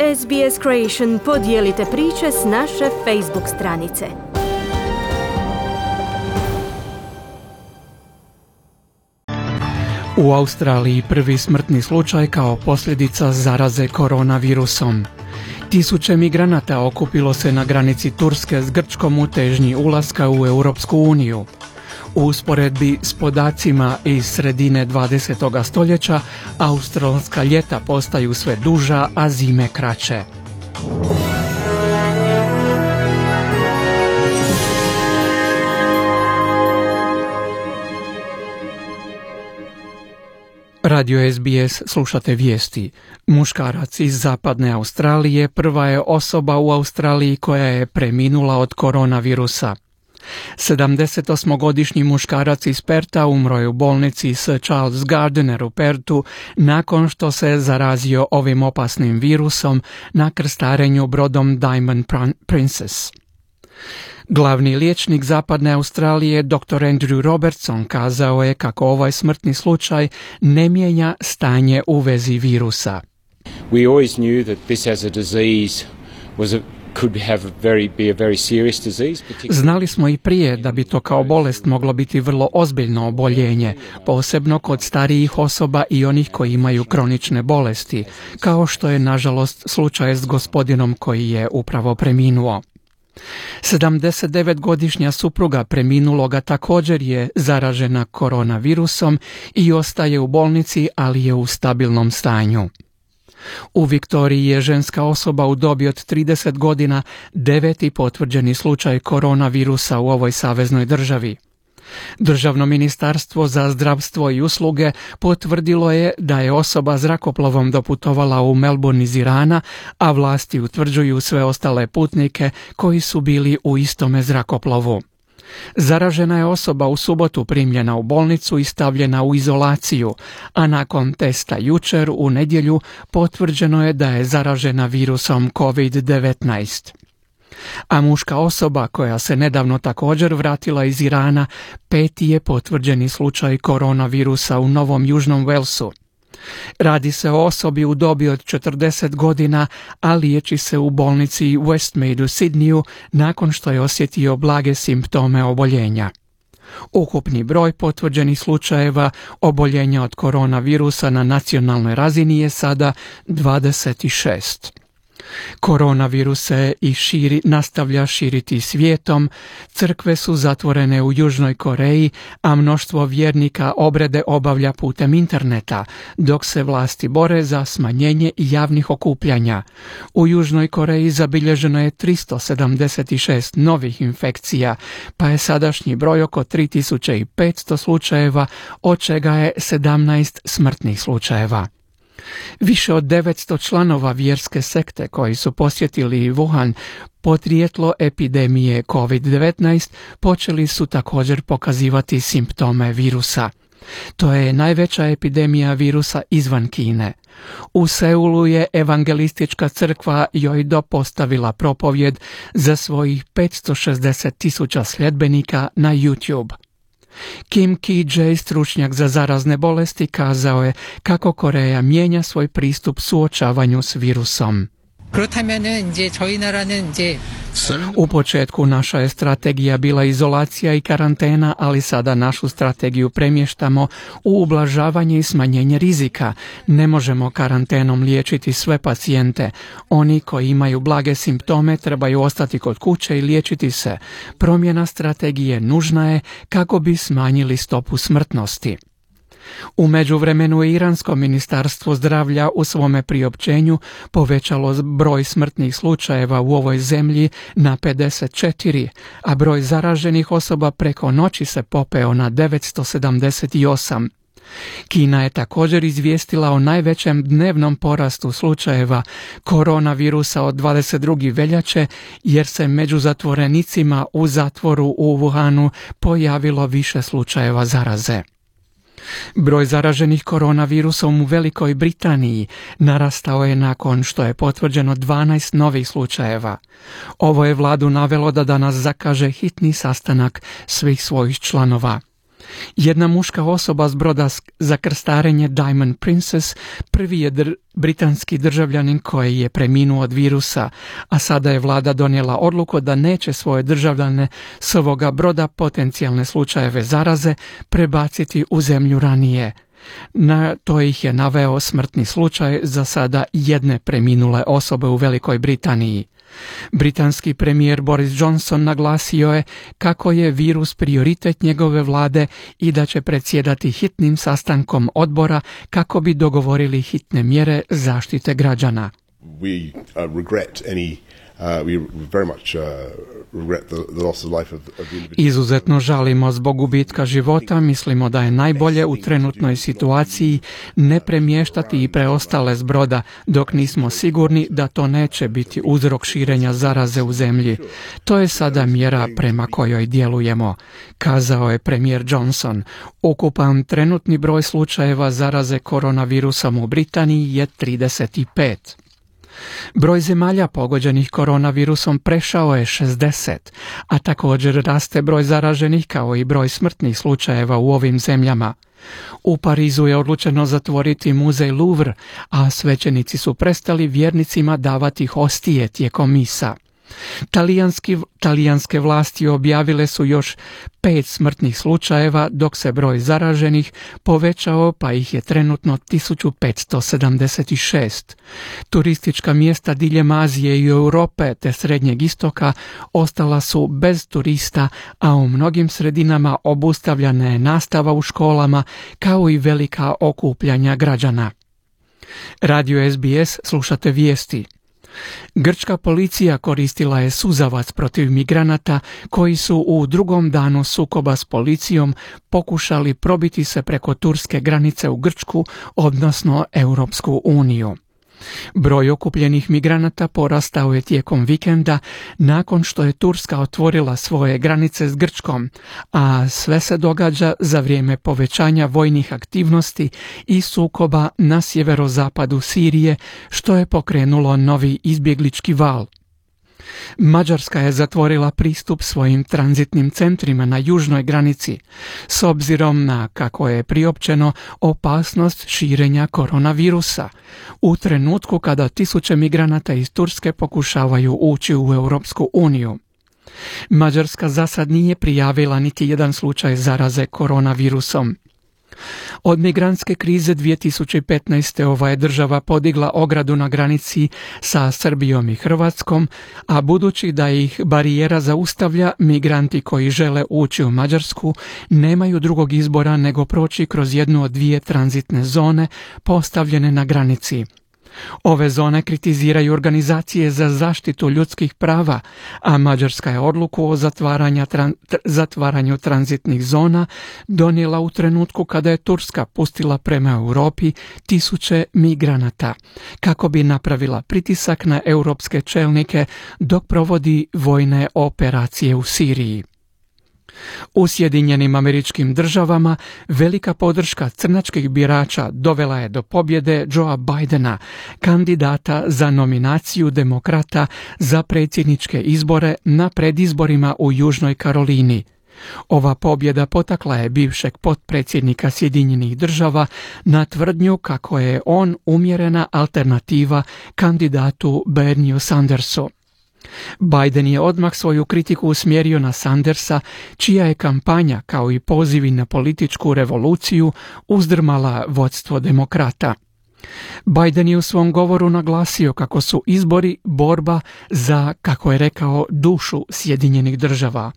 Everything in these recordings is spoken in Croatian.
SBS Creation podijelite priče s naše Facebook stranice. U Australiji prvi smrtni slučaj kao posljedica zaraze koronavirusom. Tisuće migranata okupilo se na granici Turske s Grčkom u težnji ulaska u Europsku uniju. U usporedbi s podacima iz sredine 20. stoljeća, australska ljeta postaju sve duža, a zime kraće. Radio SBS slušate vijesti. Muškarac iz zapadne Australije prva je osoba u Australiji koja je preminula od koronavirusa. 78-godišnji muškarac iz Perta umro je u bolnici Sir Charles Gardiner u Pertu nakon što se zarazio ovim opasnim virusom na krstarenju brodom Diamond Princess. Glavni liječnik zapadne Australije, dr. Andrew Robertson, kazao je kako ovaj smrtni slučaj ne mijenja stanje u vezi virusa. We always knew that this as a disease could be a very serious disease. Znali smo i prije da bi to kao bolest moglo biti vrlo ozbiljno oboljenje, posebno kod starijih osoba i onih koji imaju kronične bolesti, kao što je nažalost slučaj s gospodinom koji je upravo preminuo. 79-godišnja supruga preminuloga također je zaražena koronavirusom i ostaje u bolnici, ali je u stabilnom stanju. U Viktoriji je ženska osoba u dobi od 30 godina 9. potvrđeni slučaj koronavirusa u ovoj saveznoj državi. Državno ministarstvo za zdravstvo i usluge potvrdilo je da je osoba zrakoplovom doputovala u Melbourne iz Irana, a vlasti utvrđuju sve ostale putnike koji su bili u istome zrakoplovu. Zaražena je osoba u subotu primljena u bolnicu i stavljena u izolaciju, a nakon testa jučer u nedjelju potvrđeno je da je zaražena virusom COVID-19. A muška osoba koja se nedavno također vratila iz Irana 5. je potvrđeni slučaj koronavirusa u Novom Južnom Walesu. Radi se o osobi u dobi od 40 godina, a liječi se u bolnici Westmead u Sidneyu nakon što je osjetio blage simptome oboljenja. Ukupni broj potvrđenih slučajeva oboljenja od koronavirusa na nacionalnoj razini je sada 26. Koronavirus se nastavlja širiti svijetom, crkve su zatvorene u Južnoj Koreji, a mnoštvo vjernika obrede obavlja putem interneta, dok se vlasti bore za smanjenje javnih okupljanja. U Južnoj Koreji zabilježeno je 376 novih infekcija, pa je sadašnji broj oko 3500 slučajeva, od čega je 17 smrtnih slučajeva. Više od 900 članova vjerske sekte koji su posjetili Wuhan, podrijetlo epidemije COVID-19, počeli su također pokazivati simptome virusa. To je najveća epidemija virusa izvan Kine. U Seulu je evangelistička crkva Yoido postavila propovjed za svojih 560,000 sljedbenika na YouTube. Kim Ki-jae, stručnjak za zarazne bolesti, kazao je kako Koreja mijenja svoj pristup suočavanju s virusom. U početku naša je strategija bila izolacija i karantena, ali sada našu strategiju premještamo u ublažavanje i smanjenje rizika. Ne možemo karantenom liječiti sve pacijente. Oni koji imaju blage simptome trebaju ostati kod kuće i liječiti se. Promjena strategije nužna je kako bi smanjili stopu smrtnosti. U međuvremenu je Iransko ministarstvo zdravlja u svome priopćenju povećalo broj smrtnih slučajeva u ovoj zemlji na 54, a broj zaraženih osoba preko noći se popeo na 978. Kina je također izvijestila o najvećem dnevnom porastu slučajeva koronavirusa od 22. veljače, jer se među zatvorenicima u zatvoru u Wuhanu pojavilo više slučajeva zaraze. Broj zaraženih koronavirusom u Velikoj Britaniji narastao je nakon što je potvrđeno 12 novih slučajeva. Ovo je vladu navelo da danas zakaže hitni sastanak svih svojih članova. Jedna muška osoba s broda za krstarenje Diamond Princess prvi je britanski državljanin koji je preminuo od virusa, a sada je vlada donijela odluku da neće svoje državljane s ovoga broda potencijalne slučajeve zaraze prebaciti u zemlju ranije. Na to ih je naveo smrtni slučaj za sada jedne preminule osobe u Velikoj Britaniji. Britanski premijer Boris Johnson naglasio je kako je virus prioritet njegove vlade i da će predsjedati hitnim sastankom odbora kako bi dogovorili hitne mjere zaštite građana. We regret any we very much regret the loss of life of the individual. Izuzetno žalimo zbog gubitka života, mislimo da je najbolje u trenutnoj situaciji ne premještati i preostale s broda dok nismo sigurni da to neće biti uzrok širenja zaraze u zemlji. To je sada mjera prema kojoj djelujemo, kazao je premijer Johnson. Ukupan trenutni broj slučajeva zaraze koronavirusom u Britaniji je 35. Broj zemalja pogođenih koronavirusom prešao je 60, a također raste broj zaraženih kao i broj smrtnih slučajeva u ovim zemljama. U Parizu je odlučeno zatvoriti muzej Louvre, a svećenici su prestali vjernicima davati hostije tijekom misa. Talijanske vlasti objavile su još 5 smrtnih slučajeva, dok se broj zaraženih povećao pa ih je trenutno 1576. Turistička mjesta diljem Azije i Europe te Srednjeg istoka ostala su bez turista, a u mnogim sredinama obustavljena je nastava u školama kao i velika okupljanja građana. Radio SBS, slušate vijesti. Grčka policija koristila je suzavac protiv migranata koji su u drugom danu sukoba s policijom pokušali probiti se preko turske granice u Grčku, odnosno Europsku uniju. Broj okupljenih migranata porastao je tijekom vikenda nakon što je Turska otvorila svoje granice s Grčkom, a sve se događa za vrijeme povećanja vojnih aktivnosti i sukoba na sjeverozapadu Sirije, što je pokrenulo novi izbjeglički val. Mađarska je zatvorila pristup svojim tranzitnim centrima na južnoj granici, s obzirom na, kako je priopćeno, opasnost širenja koronavirusa, u trenutku kada tisuće migranata iz Turske pokušavaju ući u Europsku uniju. Mađarska za sad nije prijavila niti jedan slučaj zaraze koronavirusom. Od migrantske krize 2015. ova je država podigla ogradu na granici sa Srbijom i Hrvatskom, a budući da ih barijera zaustavlja, migranti koji žele ući u Mađarsku nemaju drugog izbora nego proći kroz jednu od 2 tranzitne zone postavljene na granici. Ove zone kritiziraju organizacije za zaštitu ljudskih prava, a Mađarska je odluku o zatvaranju tranzitnih zona donijela u trenutku kada je Turska pustila prema Europi tisuće migranata, kako bi napravila pritisak na europske čelnike dok provodi vojne operacije u Siriji. U Sjedinjenim Američkim Državama velika podrška crnačkih birača dovela je do pobjede Joea Bidena, kandidata za nominaciju demokrata za predsjedničke izbore na predizborima u Južnoj Karolini. Ova pobjeda potakla je bivšeg potpredsjednika Sjedinjenih Država na tvrdnju kako je on umjerena alternativa kandidatu Bernieu Sandersu. Biden je odmah svoju kritiku usmjerio na Sandersa, čija je kampanja, kao i pozivi na političku revoluciju, uzdrmala vodstvo demokrata. Biden je u svom govoru naglasio kako su izbori borba za, kako je rekao, dušu Sjedinjenih Država.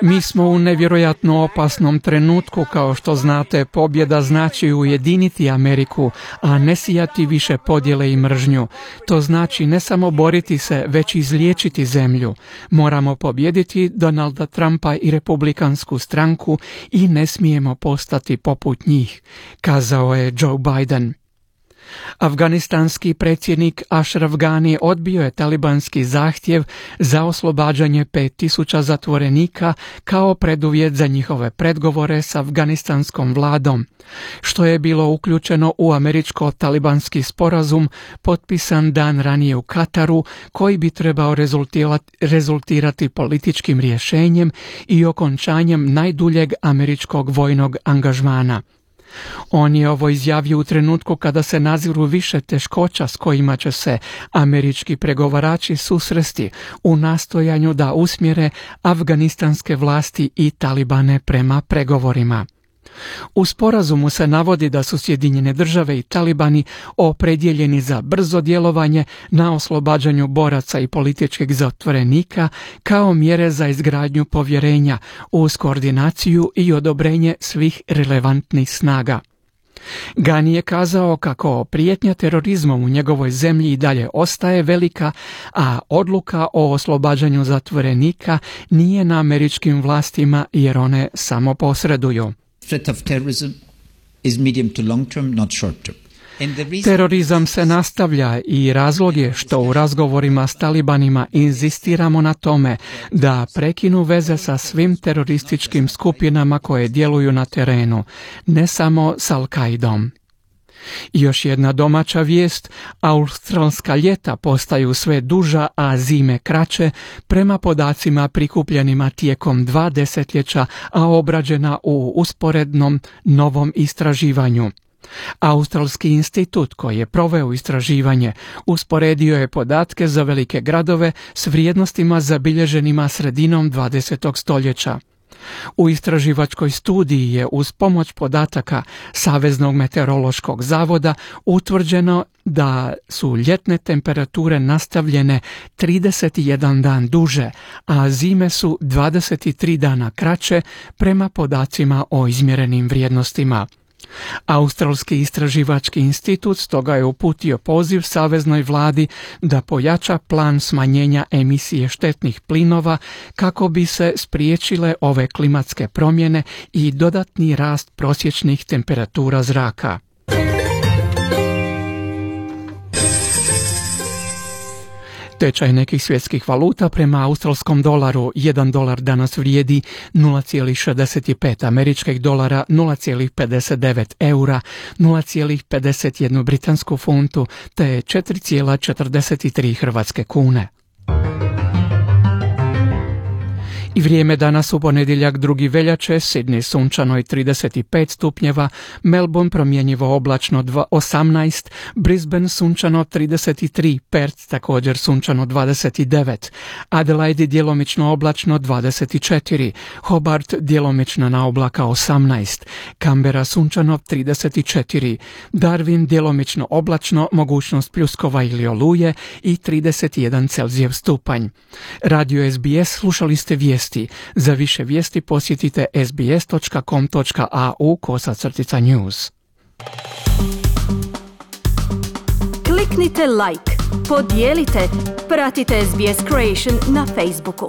Mi smo u nevjerojatno opasnom trenutku, kao što znate, pobjeda znači ujediniti Ameriku, a ne sijati više podjele i mržnju. To znači ne samo boriti se, već izliječiti zemlju. Moramo pobijediti Donalda Trumpa i Republikansku stranku i ne smijemo postati poput njih, kazao je Joe Biden. Afganistanski predsjednik Ashraf Ghani odbio je talibanski zahtjev za oslobađanje 5000 zatvorenika kao preduvjet za njihove pregovore s afganistanskom vladom, što je bilo uključeno u američko-talibanski sporazum potpisan dan ranije u Kataru, koji bi trebao rezultirati političkim rješenjem i okončanjem najduljeg američkog vojnog angažmana. On je ovo izjavio u trenutku kada se naziru više teškoća s kojima će se američki pregovarači susresti u nastojanju da usmjere afganistanske vlasti i talibane prema pregovorima. U sporazumu se navodi da su Sjedinjene države i talibani opredjeljeni za brzo djelovanje na oslobađanju boraca i političkih zatvorenika kao mjere za izgradnju povjerenja uz koordinaciju i odobrenje svih relevantnih snaga. Ghani je kazao kako prijetnja terorizmom u njegovoj zemlji i dalje ostaje velika, a odluka o oslobađanju zatvorenika nije na američkim vlastima jer one samo posreduju. Threat of terrorism is medium to long term, not short term. Terorizam se nastavlja i razlog je što u razgovorima s talibanima inzistiramo na tome da prekinu veze sa svim terorističkim skupinama koje djeluju na terenu, ne samo s Al-Qaidom. I još jedna domaća vijest, australska ljeta postaju sve duža, a zime kraće, prema podacima prikupljenima tijekom 2 desetljeća, a obrađena u usporednom novom istraživanju. Australski institut koji je proveo istraživanje usporedio je podatke za velike gradove s vrijednostima zabilježenima sredinom 20. stoljeća. U istraživačkoj studiji je uz pomoć podataka Saveznog meteorološkog zavoda utvrđeno da su ljetne temperature nastavljene 31 dan duže, a zime su 23 dana kraće prema podacima o izmjerenim vrijednostima. Australski istraživački institut stoga je uputio poziv saveznoj vladi da pojača plan smanjenja emisije štetnih plinova kako bi se spriječile ove klimatske promjene i dodatni rast prosječnih temperatura zraka. Tečaj nekih svjetskih valuta prema australskom dolaru: $1 danas vrijedi 0,65 američkih dolara, 0,59 eura, 0,51 britansku funtu te 4,43 hrvatske kune. I vrijeme danas u ponedjeljak 2. veljače: Sydney sunčano i 35 stupnjeva, Melbourne promjenjivo oblačno 18, Brisbane sunčano 33, Perth također sunčano 29, Adelaide djelomično oblačno 24, Hobart djelomično na oblaka 18, Canberra sunčano 34, Darwin djelomično oblačno, mogućnost pljuskova ili oluje i 31 Celzijev stupanj. Radio SBS, slušali ste vijesti. Za više vijesti posjetite sbs.com.au/news. Kliknite like, podijelite, pratite SBS Creation na Facebooku.